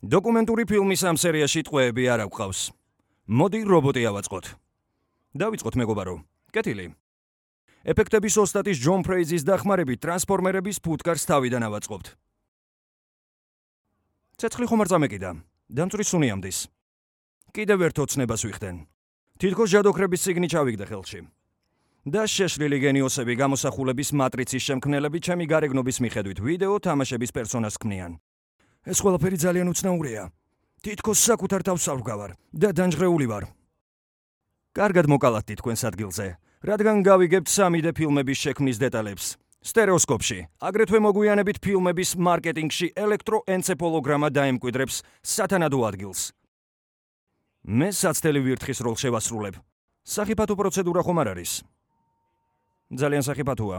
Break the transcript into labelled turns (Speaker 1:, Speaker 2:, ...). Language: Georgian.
Speaker 1: დოკუმენტური ფილმის ამ სერიაში ტყვეები არ აგვყავს. მოდი რობოტი ავაწყოთ. დავიწყოთ მეგობარო. კეთილი. ეფექტების ოსტატის ჯონ ფრეიზის დახმარებით ტრანსფორმერების ფუტკარს თავიდან ავაწყობთ. ცეცხლი ხომ არ წამეკიდა. დამწვრის სუნი ამდის. კიდევ ერთ ოცნებას ვიხდენ. თითქოს ჟადოქრების წიგნი ჩავიგდე ხელში. და შეშლილი გენიოსები გამოსახულების მატრიცის შემქმნელები ჩემი გარეგნობის მიხედვით ვიდეო თამაშების პერსონაჟს ქმნიან. ეს ყველაფერი ძალიან უცნაურია. თითქოს საკუთარ თავს ავგავარ და დანჯღრეული ვარ. კარგად მოკალათდი თქვენს ადგილზე, რადგან გავიგებთ 3D ფილმების შექმნის დეტალებს. სტერეოსკოპში, აგრეთვე მოგვიანებით ფილმების მარკეტინგში ელექტროენცეფალოგრამა დაემკვიდრებს სათანადო ადგილს. მე საცდელი ვირთხის როლს შევასრულებ. სახიფათო პროცედურა ხომ არ არის? ძალიან სახიფათოა.